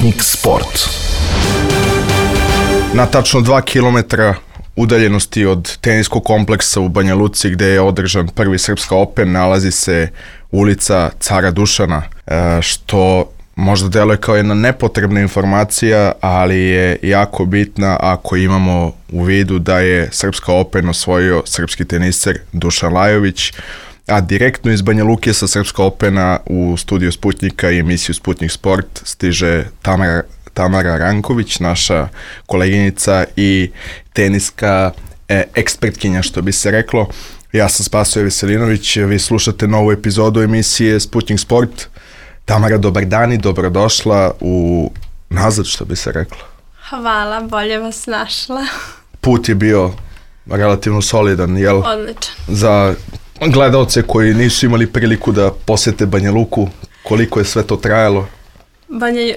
Sputnik Sport. Na tačno 2 kilometra udaljenosti od teniskog kompleksa u Banja Luci gde je održan prvi Srpska Open nalazi se ulica Cara Dušana, što možda deluje kao jedna nepotrebna informacija, ali je jako bitna ako imamo u vidu da je Srpska Open osvojio srpski teniser Dušan Lajović, a direktno iz Banja Luke sa Srpska Opena u studiju Sputnika i emisiju Sputnik Sport stiže Tamara Ranković, naša koleginica i teniska ekspertkinja, što bi se reklo. Ja sam Spasoje Veselinović, vi slušate novu epizodu emisije Sputnik Sport. Tamara, dobar dan i dobrodošla u nazad, što bi se reklo. Hvala, bolje vas našla. Put je bio relativno solidan, jel? Odličan. Za gledalce koji nisu imali priliku da posete Banja Luku, koliko je sve to trajalo?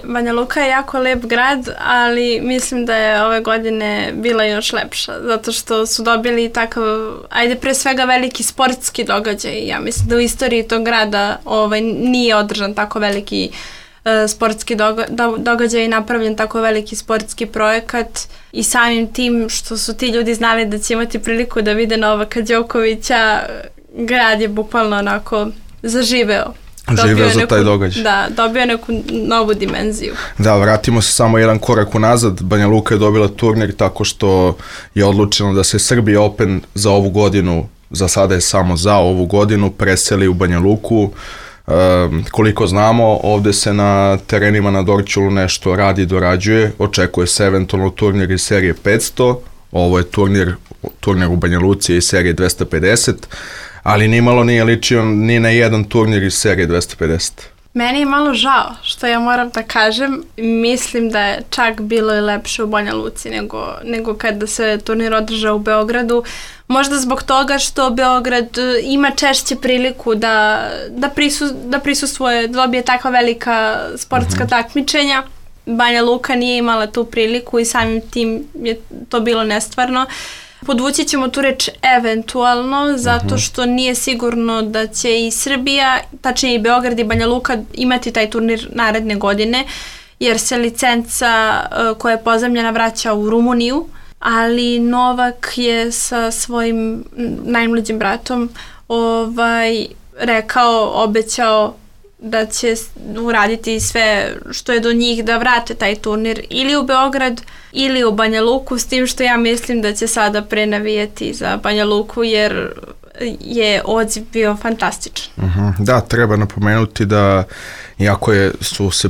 Banja Luka je jako lep grad, ali mislim da je ove godine bila još lepša, zato što su dobili takav, pre svega veliki sportski događaj. Ja mislim da u istoriji tog grada nije održan tako veliki sportski događaj i napravljen tako veliki sportski projekat, i samim tim što su ti ljudi znali da će imati priliku da vide Novaka Đokovića, grad je bukvalno onako zaživeo. Živeo za taj događaj. Da, dobio neku novu dimenziju. Da, vratimo se samo jedan korak unazad. Banja Luka je dobila turnir tako što je odlučeno da se Srbija Open za ovu godinu, za sada je samo za ovu godinu, preseli u Banja Luku. Koliko znamo, ovde se na terenima na Dorćolu nešto radi i dorađuje. Očekuje se eventualno turnir iz serije 500. Ovo je turnir u Banja Luci iz serije 250. Ali nimalo nije ličio ni na jedan turnir iz serije 250. Meni je malo žao, što ja moram da kažem. Mislim da je čak bilo i lepše u Banja Luci nego kada se turnir održao u Beogradu. Možda zbog toga što Beograd ima češće priliku da prisustvuje, da dobije takva velika sportska takmičenja. Banja Luka nije imala tu priliku i samim tim je to bilo nestvarno. Podvući ćemo tu reč eventualno, zato što nije sigurno da će i Srbija, tačnije i Beograd i Banja Luka imati taj turnir naredne godine, jer se licenca koja je pozajmljena vraća u Rumuniju, ali Novak je sa svojim najmlađim bratom obećao da će uraditi sve što je do njih da vrate taj turnir ili u Beograd ili u Banja Luku, s tim što ja mislim da će sada prenavijeti za Banja Luku jer je odziv bio fantastičan. Da, treba napomenuti da iako su se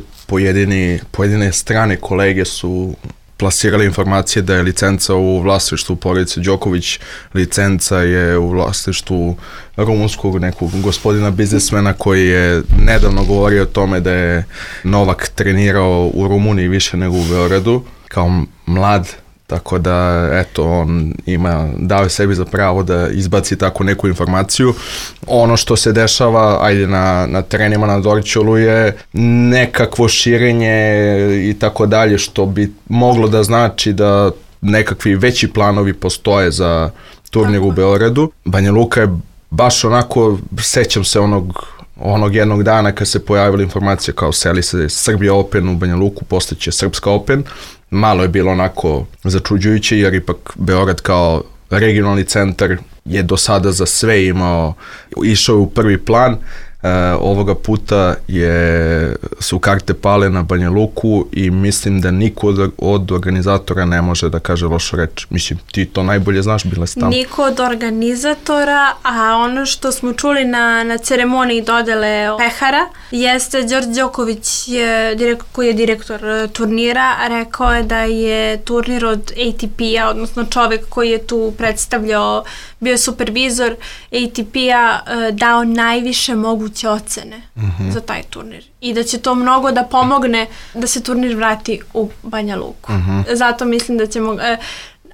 pojedine strane kolege su plasirali informacije da je licenca u vlasništvu porodice Đoković, licenca je u vlasništvu rumunskog nekog gospodina biznismena koji je nedavno govorio o tome da je Novak trenirao u Rumuniji više nego u Beogradu kao mlad, tako da on dao je sebi za pravo da izbaci tako neku informaciju. Ono što se dešava na terenima na Dorćolu je nekakvo širenje i tako dalje, što bi moglo da znači da nekakvi veći planovi postoje za turnir u Beogradu. Banja Luka je baš onako, sećam se onog jednog dana kad se pojavila informacija kao seli se Srbija Open u Banja Luku, postaće Srpska Open. Malo je bilo onako začuđujuće jer ipak Beograd kao regionalni centar je do sada za sve išao u prvi plan. Ovoga puta su karte pale na Banja Luku i mislim da niko od organizatora ne može da kaže lošu reč. Mislim, ti to najbolje znaš, bila si tamo. Niko od organizatora, a ono što smo čuli na ceremoniji dodele pehara jeste Đorđe Đoković, koji je direktor turnira, rekao je da je turnir od ATP-a, odnosno čovek koji je tu predstavljao, bio supervizor ATP-a, dao najviše moguće ocene za taj turnir i da će to mnogo da pomogne da se turnir vrati u Banja Luku. Zato mislim da ćemo...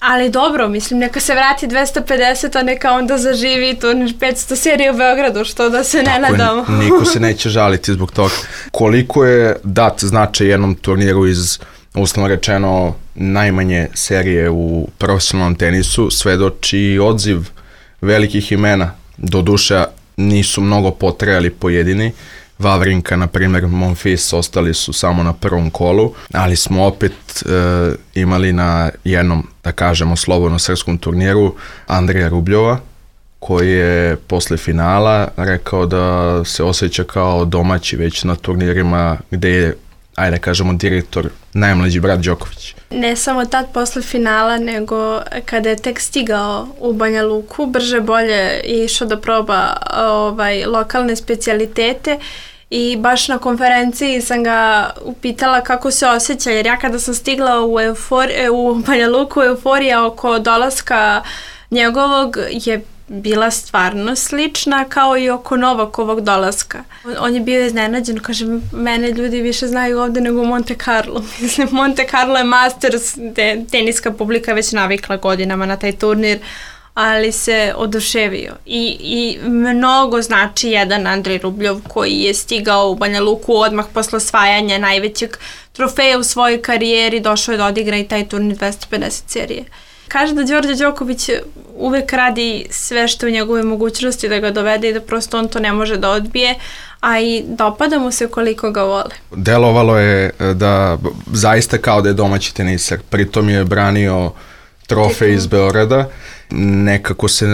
Ali dobro, mislim, neka se vrati 250, a neka onda zaživi turnir 500 serije u Beogradu, što da se ne nadamo. Niko se neće žaliti zbog toga. Koliko je dat značaj jednom turniru iz, uslovno rečeno, najmanje serije u profesionalnom tenisu, svedoči odziv velikih imena. Doduše, nisu mnogo potrajali pojedini. Vavrinka, na primjer, Monfils, ostali su samo na prvom kolu, ali smo opet imali na jednom, da kažemo, slobodno srpskom turniru Andreja Rubljova, koji je posle finala rekao da se osjeća kao domaći već na turnirima gde je, ajde kažemo, direktor najmlađi brat Đoković. Ne samo tad posle finala, nego kada je tek stigao u Banja Luku, brže bolje je išao da proba lokalne specijalitete i baš na konferenciji sam ga upitala kako se osjeća, jer ja kada sam stigla u Banja Luku, euforija oko dolaska njegovog je bila stvarno slična kao i oko Novakovog dolaska. On je bio iznenađen, kaže, mene ljudi više znaju ovde nego u Monte Carlo. Mislim, Monte Carlo je Masters, gde teniska publika već navikla godinama na taj turnir, ali se oduševio. I mnogo znači jedan Andrej Rubljov koji je stigao u Banja Luku odmah posle osvajanja najvećeg trofeja u svojoj karijeri, došao je da odigra i taj turnir 250 serije. Kaže da Đorđe Đoković uvek radi sve što u njegove mogućnosti da ga dovede i da prosto on to ne može da odbije, a i dopada mu se koliko ga vole. Delovalo je da zaista kao da je domaći tenisar, pritom je branio trofej iz Beograda. Nekako se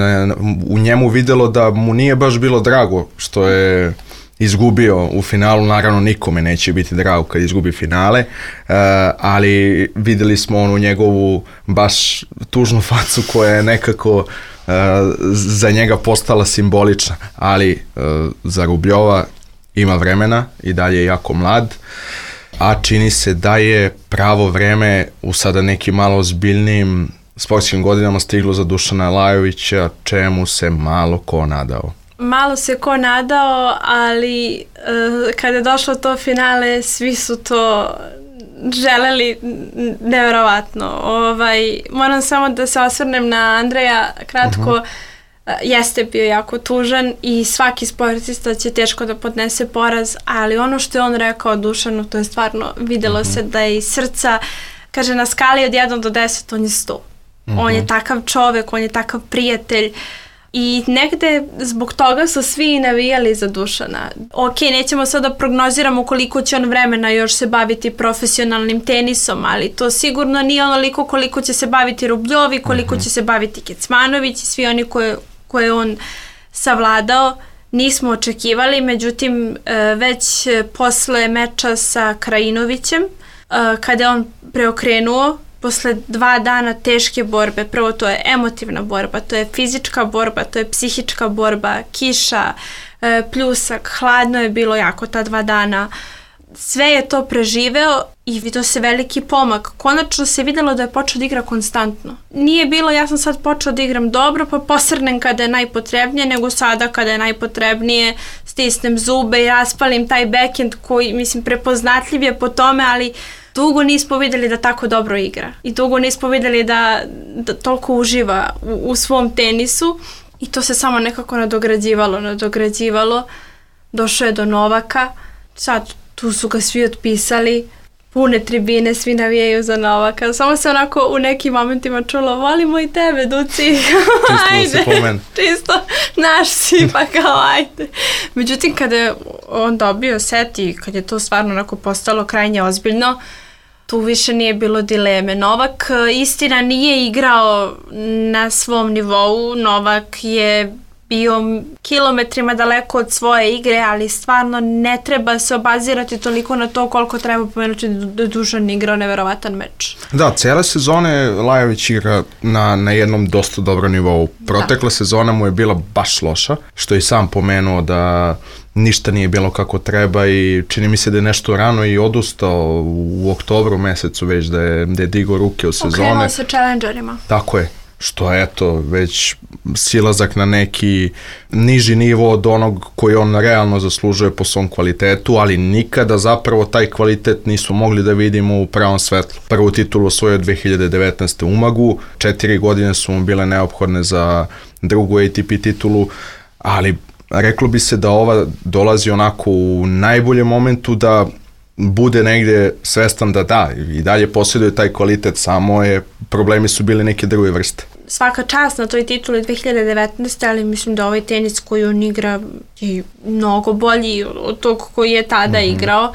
u njemu videlo da mu nije baš bilo drago što je izgubio u finalu, naravno nikome neće biti drago kad izgubi finale, ali videli smo onu njegovu baš tužnu facu koja je nekako za njega postala simbolična, ali za Rubljova ima vremena i dalje je jako mlad, a čini se da je pravo vreme u sada nekim malo ozbiljnijim sportskim godinama stiglo za Dušana Lajovića, čemu se malo ko nadao. Malo se ko nadao, ali kada je došlo to finale, svi su to želeli nevjerovatno. Moram samo da se osvrnem na Andreja kratko. Jeste bio jako tužan i svaki sportista će teško da podnese poraz, ali ono što je on rekao Dušanu, to je stvarno, videlo se da je iz srca, kaže, na skali od 1 do 10 on je 100. On je takav čovek, on je takav prijatelj. I negde zbog toga su svi navijali za Dušana. Ok, nećemo sad da prognoziramo koliko će on vremena još se baviti profesionalnim tenisom, ali to sigurno nije onoliko koliko će se baviti Rubljovi, koliko će se baviti Kecmanović i svi oni koje on savladao. Nismo očekivali, međutim već posle meča sa Krajinovićem, kada je on preokrenuo, posle 2 dana teške borbe, prvo to je emotivna borba, to je fizička borba, to je psihička borba, kiša, pljusak, hladno je bilo jako ta 2 dana. Sve je to preživeo i vidio se veliki pomak. Konačno se videlo da je počeo da igra konstantno. Nije bilo, ja sam sad počeo da igram dobro, pa posrnem kada je najpotrebnije, nego sada kada je najpotrebnije stisnem zube i raspalim taj backhand koji, mislim, prepoznatljiv je po tome, ali dugo nismo videli da tako dobro igra i dugo nismo videli da toliko uživa u svom tenisu i to se samo nekako nadograđivalo. Došao je do Novaka, sad tu su ga svi otpisali, pune tribine, svi navijaju za Novaka. Samo se onako u nekim momentima čulo, volimo i tebe, Duci. Ajde, čisto naš si, pa kao ajde. Međutim, kada je on dobio set i kad je to stvarno onako postalo krajnje ozbiljno, tu više nije bilo dileme. Novak, istina, nije igrao na svom nivou. Novak je bio kilometrima daleko od svoje igre, ali stvarno ne treba se obazirati toliko na to koliko treba pomenuti da Dušan igrao neverovatan meč. Da, cijela sezone Lajović igra na jednom dosta dobro nivou. Protekla sezona mu je bila baš loša, što je sam pomenuo da ništa nije bilo kako treba i čini mi se da je nešto rano i odustao u oktobru mesecu već da je digao ruke u sezone. Okrenuo se challengerima. Tako je. Što je, eto, već silazak na neki niži nivo od onog koji on realno zaslužuje po svom kvalitetu, ali nikada zapravo taj kvalitet nisu mogli da vidimo u pravom svetlu. Prvu titulu osvojio 2019. u Umagu, 4 godine su mu bile neophodne za drugu ATP titulu, ali reklo bi se da ova dolazi onako u najboljem momentu da bude negde svestan da i dalje posjeduje taj kvalitet, samo problemi su bili neke druge vrste. svaka čast na toj tituli 2019. ali mislim da ovaj tenis koji on igra je mnogo bolji od tog koji je tada igrao.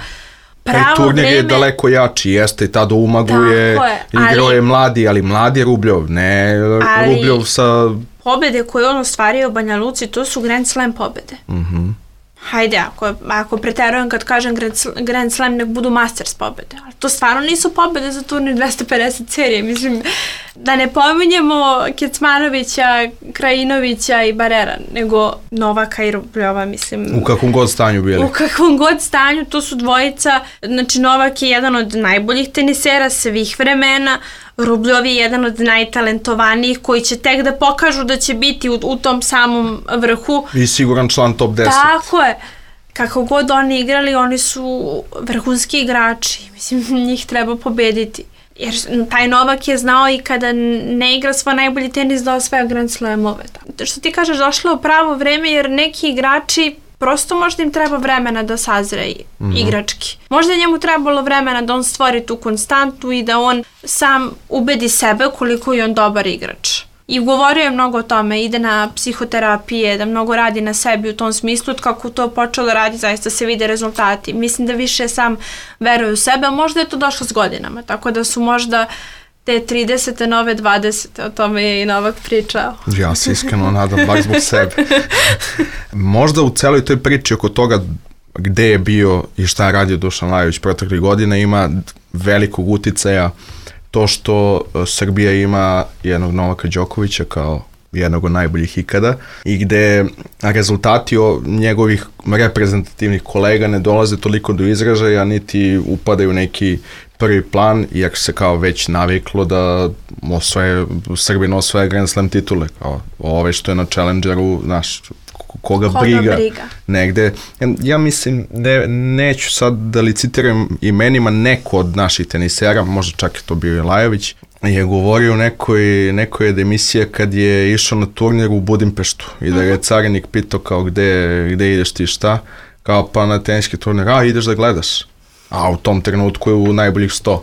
Pravo turnir je daleko jači, jeste, i tada u Umagu igrao je mladi Rubljov, ne Rubljov sa... Pobede koje on ostvario u Banja Luci, to su Grand Slam pobede. Hajde, ako preterujem kad kažem Grand Slam, nek budu Masters pobede. Ali to stvarno nisu pobede za turnir 250 serije. Mislim, da ne pominjemo Kecmanovića, Krajinovića i Barrera, nego Novaka i Rubljova, mislim. U kakvom god stanju bili. U kakvom god stanju, to su dvojica. Znači, Novak je jedan od najboljih tenisera svih vremena. Rubljov je jedan od najtalentovanijih koji će tek da pokažu da će biti u tom samom vrhu. I siguran član top 10. Tako je. Kako god oni igrali, oni su vrhunski igrači. Mislim, njih treba pobediti. Jer taj Novak je znao i kada ne igra svoj najbolji tenis da osvaja Grand Slamove. Što ti kažeš, došlo je u pravo vreme jer neki igrači prosto možda im treba vremena da sazreji igrački. Možda je njemu trebalo vremena da on stvori tu konstantu i da on sam ubedi sebe koliko je on dobar igrač. I govorio je mnogo o tome, ide na psihoterapije, da mnogo radi na sebi u tom smislu, kako to počelo da radi, zaista se vide rezultati. Mislim da više sam veruje u sebe, a možda je to došlo s godinama, tako da su možda te 30. nove 20. O tome je i Novak pričao. Ja se iskreno nadam, bar zbog sebe. Možda u celoj toj priči oko toga gde je bio i šta je radio Dušan Lajović proteklih godina ima velikog uticaja to što Srbija ima jednog Novaka Đokovića kao jednog od najboljih ikada i gde rezultati njegovih reprezentativnih kolega ne dolaze toliko do izražaja niti upadaju neki prvi plan, jer se kao već naviklo da Srbin osvaja Grand Slam titule, kao ove što je na Challengeru, znaš, koga briga negde. Ja mislim, neću sad da licitiram imenima, neko od naših tenisera, možda čak je to bio i Lajović, je govorio u nekoj od emisija kad je išao na turnir u Budimpeštu i da je carinik pitao kao gde ideš ti šta, kao pa na teniski turnir, ideš da gledaš. A u tom trenutku je u najboljih 100.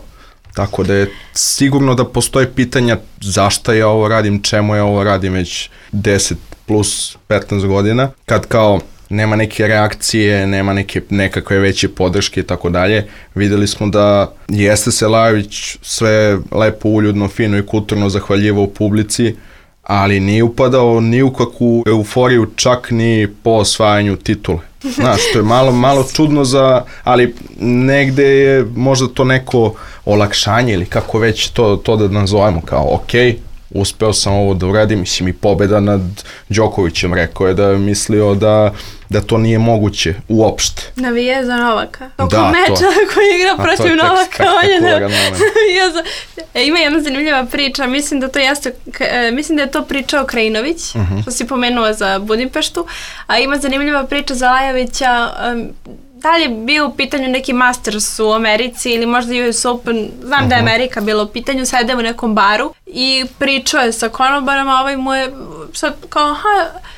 Tako da je sigurno da postoje pitanja zašto ja ovo radim, čemu ja ovo radim već 10 plus 15 godina, kad kao nema neke reakcije, nema nekakve veće podrške i tako dalje. Videli smo da jeste se Lajović sve lepo, uljudno, fino i kulturno zahvaljivao u publici, ali nije upadao ni u kakvu euforiju, čak ni po osvajanju titule. Znaš, to je malo čudno ali negde je možda to neko olakšanje ili kako već to da nazovemo kao uspeo sam ovo da uradim, mislim i pobeda nad Đokovićem, rekao je da je mislio da to nije moguće uopšte. Navije za Novaka. Oko meča koji igra protiv Novaka. Ima jedna zanimljiva priča, mislim da je to pričao Krajinović, što si pomenuo za Budimpeštu, a ima zanimljiva priča za Lajovića. Da li je bio u pitanju neki Masters u Americi ili možda US Open, znam da je Amerika bila u pitanju, sede u nekom baru i pričao je sa konobarom, a ovaj mu je sad kao,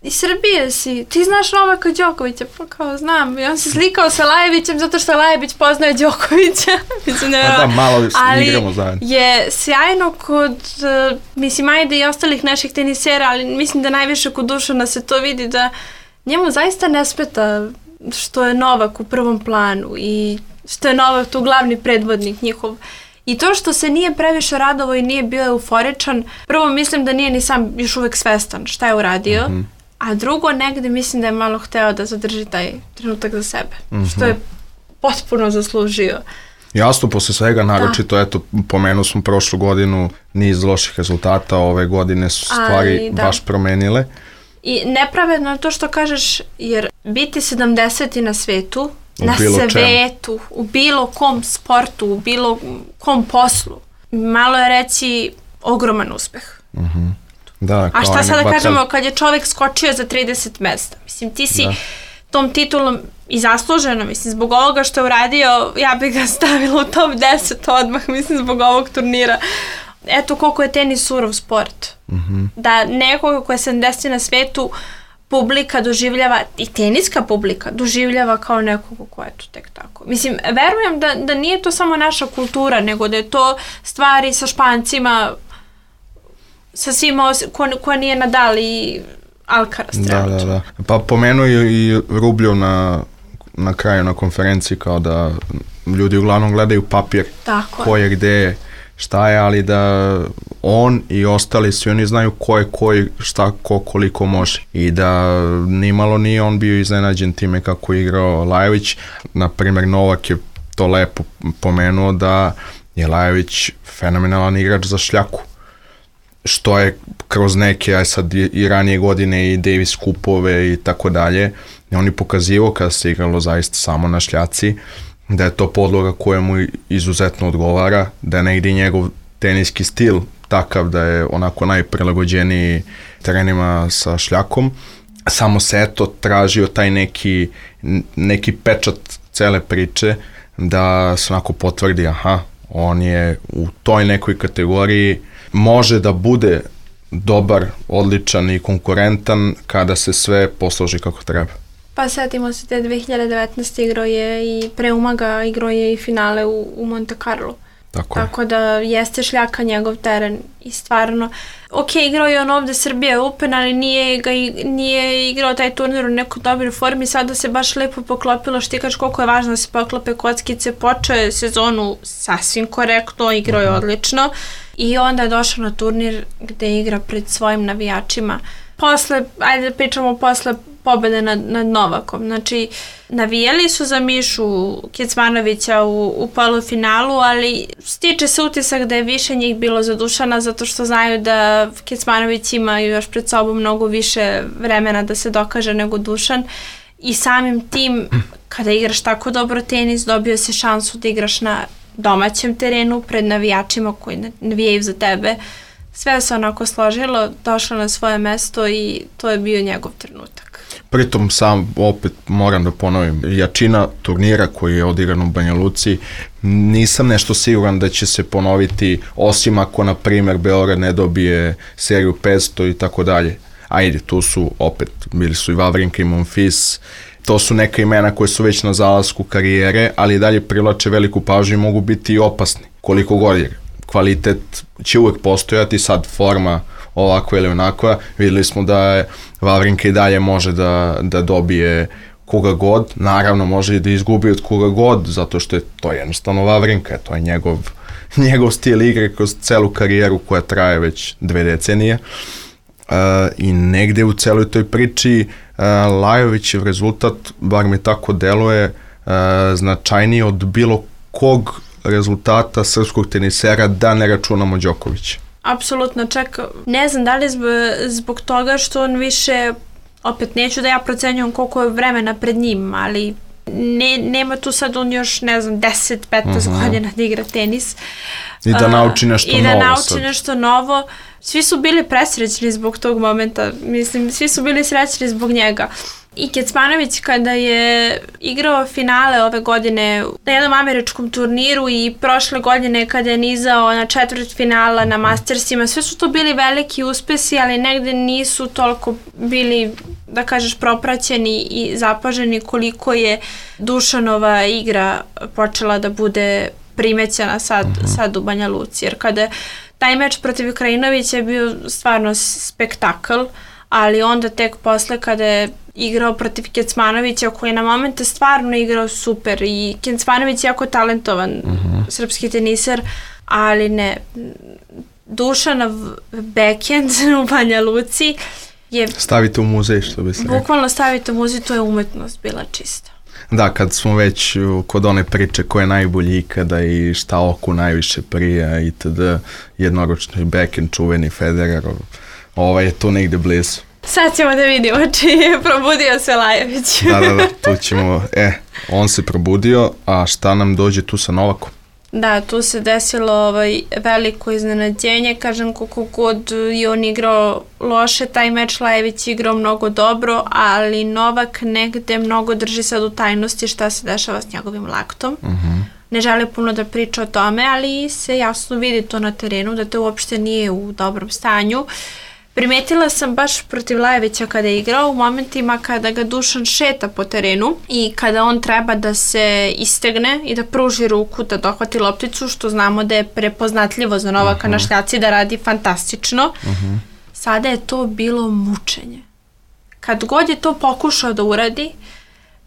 iz Srbije si, ti znaš Novaka Đokovića? Pa kao, znam. I on se slikao sa Lajovićem zato što Lajović poznaje Đokovića. Malo igramo zajedno. Ali je sjajno kod, mislim, ajde i ostalih naših tenisera, ali mislim da najviše kod Dušana se to vidi da njemu zaista ne smeta što je Novak u prvom planu i što je Novak tu glavni predvodnik njihov. I to što se nije previše radovao i nije bio euforičan, prvo mislim da nije ni sam još uvek svestan šta je uradio, a drugo negde mislim da je malo hteo da zadrži taj trenutak za sebe, što je potpuno zaslužio. Jasno, posle svega, naročito, eto, pomenuo smo prošlu godinu niz loših rezultata, ove godine su stvari baš promenile. I nepravedno je to što kažeš, jer biti 70. na svetu, u bilo kom sportu, u bilo kom poslu, malo je reći ogroman uspeh. A šta sada kažemo kad je čovjek skočio za 30 mesta? Mislim, ti si tom titulom i zasluženo, mislim, zbog ovoga što je uradio, ja bih ga stavila u top 10 odmah, mislim, zbog ovog turnira. Eto koliko je tenis surov sport. Da nekoga koja je 70 na svetu publika doživljava, i teniska publika doživljava kao nekoga koja je to tek tako. Mislim, verujem da nije to samo naša kultura, nego da je to stvari sa Špancima sa svima ko nije Nadal i Alcaraz trenutno. Da. Pa pomenuo i Rubljov na kraju na konferenciji kao da ljudi uglavnom gledaju papir, ko je gde, šta je, ali da on i ostali svi oni znaju ko je koji, šta, ko, koliko može. I da nimalo nije on bio iznenađen time kako je igrao Lajović. Naprimjer, Novak je to lepo pomenuo da je Lajović fenomenalan igrač za šljaku. Što je kroz neke, sad i ranije godine i Davis kupove i tako dalje, on je pokazivao kada se igralo zaista samo na šljaci, da je to podloga koja mu izuzetno odgovara, da je negdje njegov teniski stil takav da je onako najprilagođeniji terenima sa šljakom. Samo se eto tražio taj neki pečat cele priče da se onako potvrdi, on je u toj nekoj kategoriji, može da bude dobar, odličan i konkurentan kada se sve posloži kako treba. Pa setimo se te 2019. igrao je i pre Umaga, igrao je i finale u Monte Carlo. Tako da jeste šljaka njegov teren i stvarno, igrao je on ovde Srbije Open, ali nije igrao taj turnir u nekoj dobroj formi, sada se baš lepo poklopilo, što ti kažeš koliko je važno da se poklope kockice, počeo je sezonu sasvim korektno, igrao je odlično i onda je došao na turnir gde igra pred svojim navijačima. Ajde da pričamo posle pobede nad Novakom. Znači, navijali su za Mišu Kecmanovića u polufinalu, ali stiče se utisak da je više njih bilo za Dušana, zato što znaju da Kecmanović ima još pred sobom mnogo više vremena da se dokaže nego Dušan. I samim tim, kada igraš tako dobro tenis, dobio si šansu da igraš na domaćem terenu, pred navijačima koji navijaju za tebe. Sve se onako složilo, došlo na svoje mesto i to je bio njegov trenutak. Pritom sam, opet moram da ponovim, jačina turnira koji je odigran u Banja Luci, nisam nešto siguran da će se ponoviti, osim ako, na primjer, Beograd ne dobije seriju 500 i tako dalje. Ajde, tu su opet, bili su i Vavrinka i Monfils, to su neka imena koje su već na zalasku karijere, ali dalje privlače veliku pažnju i mogu biti i opasni, koliko god je. Kvalitet će uvek postojati, sad forma ovakva ili onakva, videli smo da Vavrinka i dalje može da dobije koga god, naravno može i da izgubi od koga god, zato što je to jednostavno Vavrinka, to je njegov stil igre kroz celu karijeru koja traje već 2 decenije. I negde u celoj toj priči Lajovićev rezultat, bar mi tako deluje, značajniji od bilo kog rezultata srpskog tenisera, da ne računamo Đokovića. Apsolutno, čak ne znam da li zbog toga što on više, opet neću da ja procenjujem koliko je vremena pred njim, ali nema tu sad on još, ne znam, 10-15 godina da igra tenis. I da nauči nešto novo. Svi su bili presrećni zbog tog momenta, mislim, svi su bili srećni zbog njega. I Kecmanović kada je igrao finale ove godine na jednom američkom turniru i prošle godine kada je nizao na četvrt finala na Mastersima, sve su to bili veliki uspesi, ali negde nisu toliko bili, da kažeš, propraćeni i zapaženi koliko je Dušanova igra počela da bude primećena sad u Banja Luci. Jer kada taj meč protiv Krajinovića je bio stvarno spektakl, ali onda tek posle kada je igrao protiv Kecmanovića koji je na momente stvarno igrao super i Kecmanović je jako talentovan srpski teniser, ali ne, Dušanov backhand u Banja Luci je... Stavite u muzej, što bi se rekao. Bukvalno stavite u muzej, to je umetnost bila čista. Da, kad smo već kod one priče ko je najbolji ikada i šta oku najviše prija itd. Jednoročni backhand, čuveni Federerov, je tu negde blizu. Sad ćemo da vidimo či je probudio se Lajović. Da, tu ćemo, on se probudio, a šta nam dođe tu sa Novakom? Da, tu se desilo veliko iznenađenje, kažem koliko god je on igrao loše, taj meč Lajović igrao mnogo dobro, ali Novak negde mnogo drži sad u tajnosti šta se dešava s njegovim laktom. Ne želi puno da priča o tome, ali se jasno vidi to na terenu, da to uopšte nije u dobrom stanju. Primetila sam baš protiv Lajevića kada je igrao u momentima kada ga Dušan šeta po terenu i kada on treba da se istegne i da pruži ruku da dohvati lopticu, što znamo da je prepoznatljivo za Novaka na šljaci, da radi fantastično. Sada je to bilo mučenje. Kad god je to pokušao da uradi,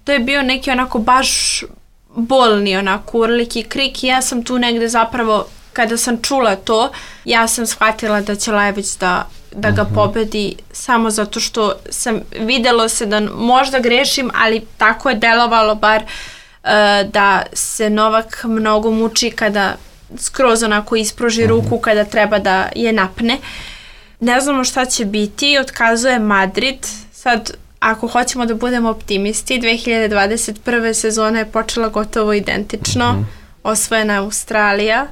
to je bio neki onako baš bolni onako urlik i krik i ja sam tu negde zapravo, kada sam čula to, ja sam shvatila da će Lajević da ga pobedi samo zato što videlo se da možda grešim, ali tako je delovalo bar da se Novak mnogo muči kada skroz onako ispruži ruku kada treba da je napne. Ne znamo šta će biti, otkazuje Madrid. Sad, ako hoćemo da budemo optimisti, 2021. sezona je počela gotovo identično. Osvojena je Australija,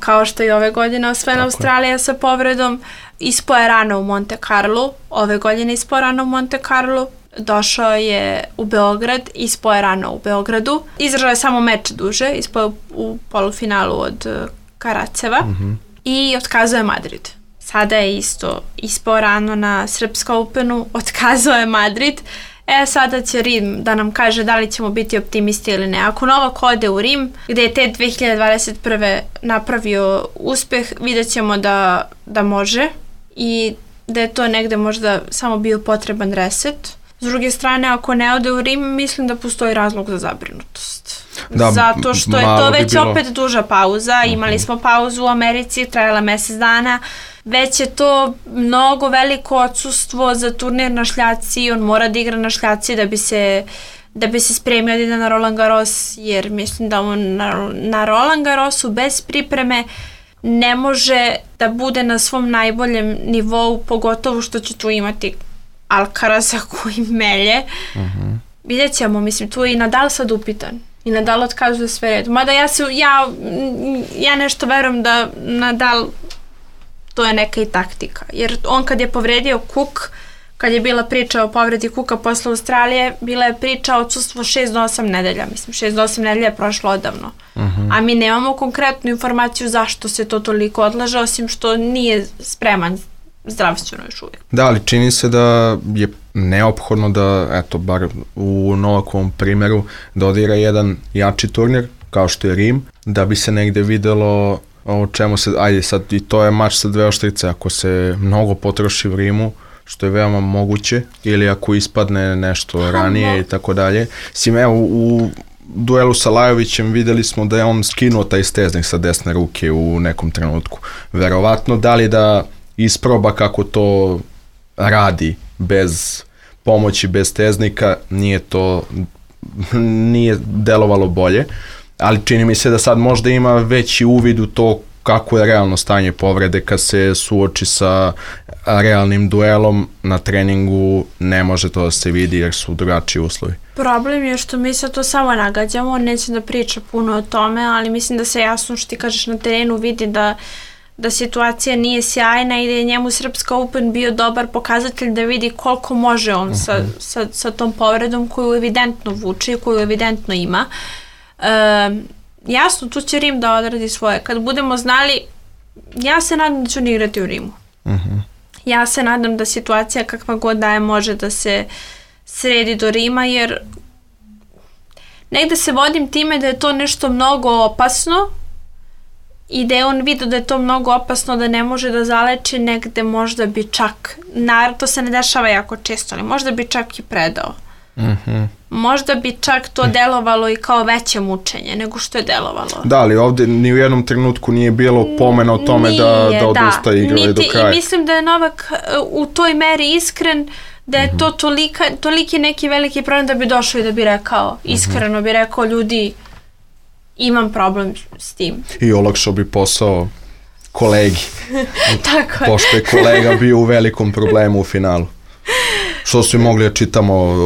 kao što je ove godine osvojena Australija sa povredom. Ispao je rano u Monte Carlo, ove godine ispao rano u Monte Carlo. Došao je u Beograd, ispao je rano u Beogradu. Izdržao je samo meč duže, ispao je u polufinalu od Karaceva i otkazuje Madrid. Sada je isto ispao rano na Srpska Openu, otkazao je Madrid. Sada će Rim da nam kaže da li ćemo biti optimisti ili ne. Ako Novak ode u Rim, gde je te 2021. napravio uspeh, vidjet ćemo da može i da je to negde možda samo bio potreban reset. S druge strane, ako ne ode u Rim, mislim da postoji razlog za zabrinutost. Zato što je to već opet duža pauza. Imali smo pauzu u Americi, trajala mesec dana. Već je to mnogo veliko odsustvo za turnir na šljaci. On mora da igra na šljaci da bi se spremio da ide na Roland Garros, jer mislim da on na Roland Garrosu bez pripreme ne može da bude na svom najboljem nivou, pogotovo što će tu imati Alcaraza koji melje. Vidjet ćemo, mislim, tu je i Nadal sad upitan. I Nadal otkazuje sve redu. Mada ja nešto verujem da Nadal, to je neka i taktika. Jer on kad je povredio Cook, kad je bila priča o povredi Cooka posle Australije, bila je priča o odsustvu 6 do 8 nedelja. Mislim, 6 do 8 nedelja je prošlo odavno. A mi nemamo konkretnu informaciju zašto se to toliko odlaže, osim što nije spreman zdravstveno još uvijek. Da, ali čini se da je neophodno da, eto, bar u Novakovom primjeru, da odigra jedan jači turnir, kao što je Rim, da bi se negde videlo o čemu se, ajde sad, i to je mač sa dve oštrice, ako se mnogo potroši u Rimu, što je veoma moguće, ili ako ispadne nešto ranije i tako dalje. Sim, evo, u duelu sa Lajovićem videli smo da je on skinuo taj steznik sa desne ruke u nekom trenutku. Verovatno, da li da isproba kako to radi bez pomoći, bez steznika, nije delovalo bolje, ali čini mi se da sad možda ima veći uvid u to kako je realno stanje povrede kad se suoči sa realnim duelom na treningu, ne može to da se vidi jer su drugačiji uslovi. Problem je što mi se to samo nagađamo, on neće da priča puno o tome, ali mislim da se jasno što ti kažeš na terenu vidi da situacija nije sjajna i da je njemu Srpska Open bio dobar pokazatelj da vidi koliko može on sa tom povredom koju evidentno vuče i koju evidentno ima. Jasno, tu će Rim da odradi svoje. Kad budemo znali, ja se nadam da će on igrati u Rimu. Ja se nadam da situacija kakva god da je može da se sredi do Rima, jer negde se vodim time da je to nešto mnogo opasno i da je on vidio da je to mnogo opasno, da ne može da zaleči, negde možda bi čak, to se ne dešava jako često, ali možda bi čak i predao. Možda bi čak to delovalo i kao veće mučenje nego što je delovalo. Da, ali ovdje ni u jednom trenutku nije bilo pomena o tome da odustaje igrali do kraja. I mislim da je Novak u toj meri iskren, da je to toliki neki veliki problem da bi došao i da bi rekao, iskreno bi rekao, ljudi, imam problem s tim. I olakšao bi posao kolegi. Tako je. Pošto je kolega bio u velikom problemu u finalu. Što su mogli da čitamo,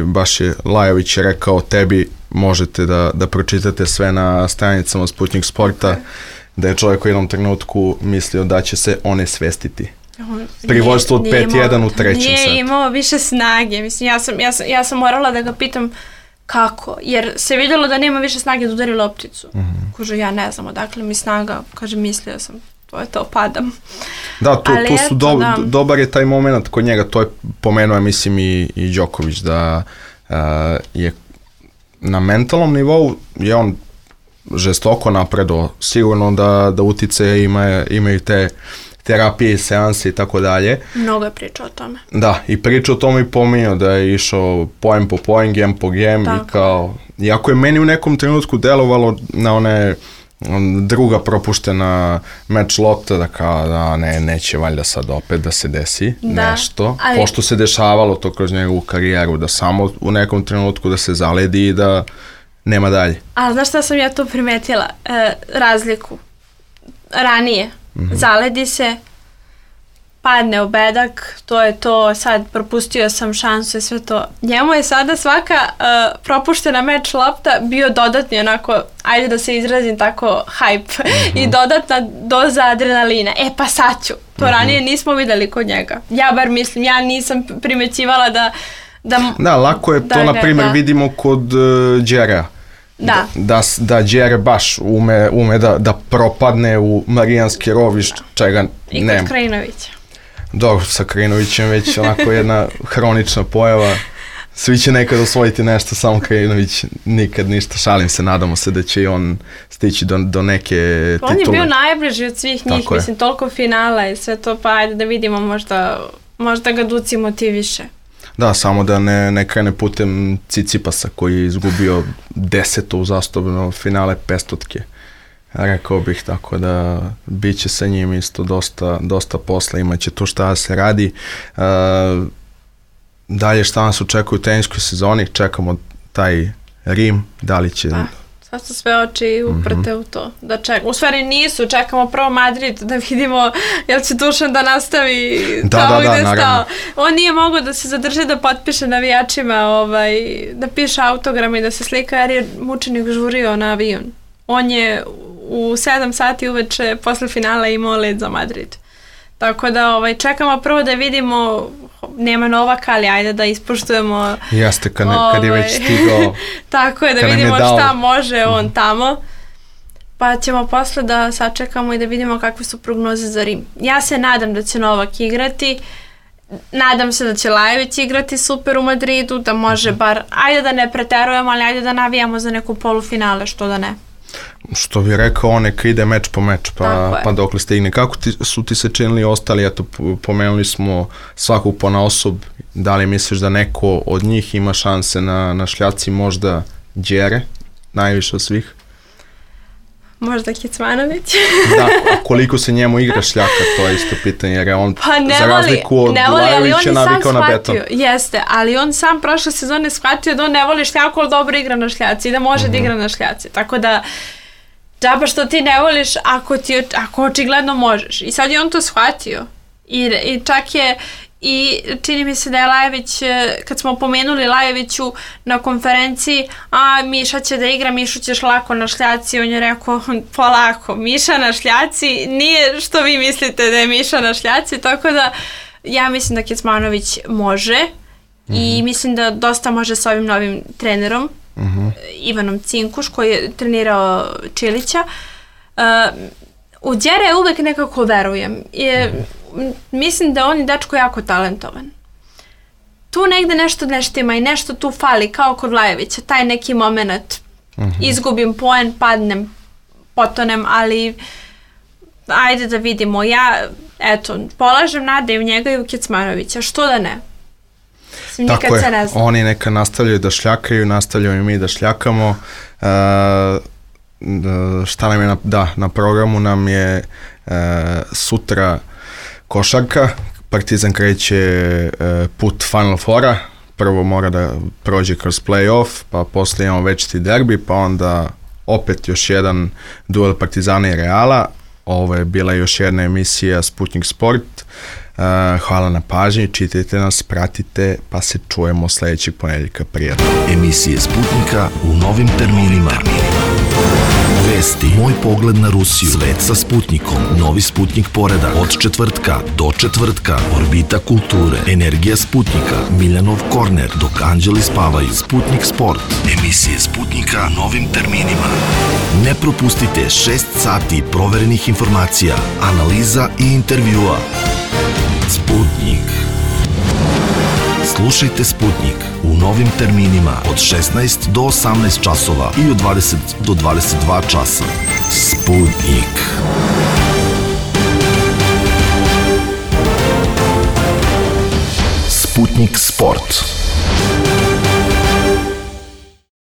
baš je Lajović rekao tebi, možete da pročitate sve na stranicama Sputnik Sporta, da je čovjek u jednom trenutku mislio da će se onesvestiti. Pri vođstvu od 5-1 u trećem setu. Nije imao više snage, mislim, ja sam morala da ga pitam kako, jer se vidjelo da nema više snage da udari lopticu. Kaže, ja ne znam odakle mi snaga, kaže, mislio sam. to je to, padam. Da, tu su dobar je taj moment kod njega, to je pomenuo, mislim, i Đoković, da je na mentalnom nivou je on žestoko napredovao, sigurno da utice imaju te terapije, seanse i tako dalje. Mnogo je pričao o tome. Da, i pričao o tome i pominjao da je išao pojem po pojem, game po game i kao, iako je meni u nekom trenutku delovalo na one druga propuštena meč lopta, da kao da neće valjda sad opet da se desi nešto, pošto se dešavalo to kroz njegovu karijeru, da samo u nekom trenutku da se zaledi i da nema dalje. Ali znaš šta sam ja tu primetila? Razliku. Ranije zaledi se, padne u bedak, to je to, sad propustio sam šansu i sve to. Njemu je sada svaka propuštena meč lopta bio dodatni onako, ajde da se izrazim tako, hype i dodatna doza adrenalina. Pa sad ću. To ranije nismo videli kod njega. Ja bar mislim, ja nisam primećivala da lako je to, na primjer, vidimo kod Đera. Da Đere baš ume da propadne u Marijanski rov, čega nema. I kod Krajinovića. Dobro, sa Krajinovićem već onako jedna hronična pojava. Svi će nekad osvojiti nešto, samo Krajinović nikad ništa. Šalim se, nadamo se da će i on stići do neke titule. On je bio najbliži od svih njih, mislim, toliko finala i sve to, pa ajde da vidimo, možda ga Duci motiviše. Da, samo da ne krene putem Cicipasa koji je izgubio 10. uzastopno finale 500-tke. Rekao bih, tako da bit će sa njim isto dosta posla, imaće tu šta da se radi. Dalje šta nas očekuje u teniskoj sezoni, čekamo taj Rim, da li će... Sad su sve oči uprte u to. U stvari nisu, čekamo prvo Madrid da vidimo jel će Dušan da nastavi tamo gde je stao. On nije mogao da se zadrži da potpiše navijačima, da piše autograme i da se slika jer je mučenik žurio na avion. On je u 7 sati uveče posle finala imao let za Madrid. Tako da čekamo prvo da vidimo, nema Novaka, ali ajde da ispoštujemo. Jeste, kad je već stigao. Tako je, da vidimo šta može on tamo. Pa ćemo posle da sačekamo i da vidimo kakve su prognoze za Rim. Ja se nadam da će Novak igrati. Nadam se da će Lajević igrati super u Madridu, da može bar, ajde da ne preterujemo, ali ajde da navijamo za neku polufinale, što da ne. Što bi rekao, on neka ide meč po meč, pa dokle stigne. Kako su ti se činili ostali? Eto, pomenuli smo svakog ponaosob. Da li misliš da neko od njih ima šanse na šljaci, možda Đere, najviše od svih? Možda Kecmanović. Da, a koliko se njemu igra šljaka, to je isto pitanje, jer je on za razliku od Lajevića navikao na beton. Jeste, ali on sam prošle sezone shvatio da on ne voli šljaku, ali dobro igra na šljaci i da može da igra na šljaci. Tako da, džaba što ti ne voliš ako očigledno možeš. I sad je on to shvatio. I čak je, i čini mi se da je Lajević, kad smo pomenuli Lajeviću na konferenciji, Miša će da igra, Mišu ćeš lako na šljaci, on je rekao polako, Miša na šljaci, nije što vi mislite da je Miša na šljaci, tako da ja mislim da Kecmanović može i mislim da dosta može sa ovim novim trenerom, Ivanom Cinkuš, koji je trenirao Čilića. U Đere uvek nekako verujem. Mislim da on je dečko jako talentovan. Tu negde nešto neštima i nešto tu fali, kao kod Lajevića, taj neki moment. Izgubim poen, padnem, potonem, ali ajde da vidimo. Ja, polažem nade i u njega i u Kecmanovića. Što da ne? Tako je, oni neka nastavljaju da šljakaju, nastavljaju i mi da šljakamo. Šta nam je na programu nam je sutra košarka. Partizan kreće put Final Fora. Prvo mora da prođe kroz play-off, pa posle imamo večiti derbi, pa onda opet još jedan duel Partizana i Reala. Ovo je bila još jedna emisija Sputnik Sport. Hvala na pažnji, čitajte nas, pratite, pa se čujemo sledećeg ponedjeljka. Prijatno. Emisije Sputnika u novim terminima. Vesti, moj pogled na Rusiju, svet sa Sputnikom, novi Sputnik poredak, od četvrtka do četvrtka, Orbita kulture, energija Sputnika, Miljanov korner, dok anđeli spavaju, Sputnik sport, emisije Sputnika novim terminima. Ne propustite 6 sati proverenih informacija, analiza i intervjua. Sputnik. Slušajte Sputnik u novim terminima od 16 do 18 časova i od 20 do 22 časa. Sputnik. Sputnik sport.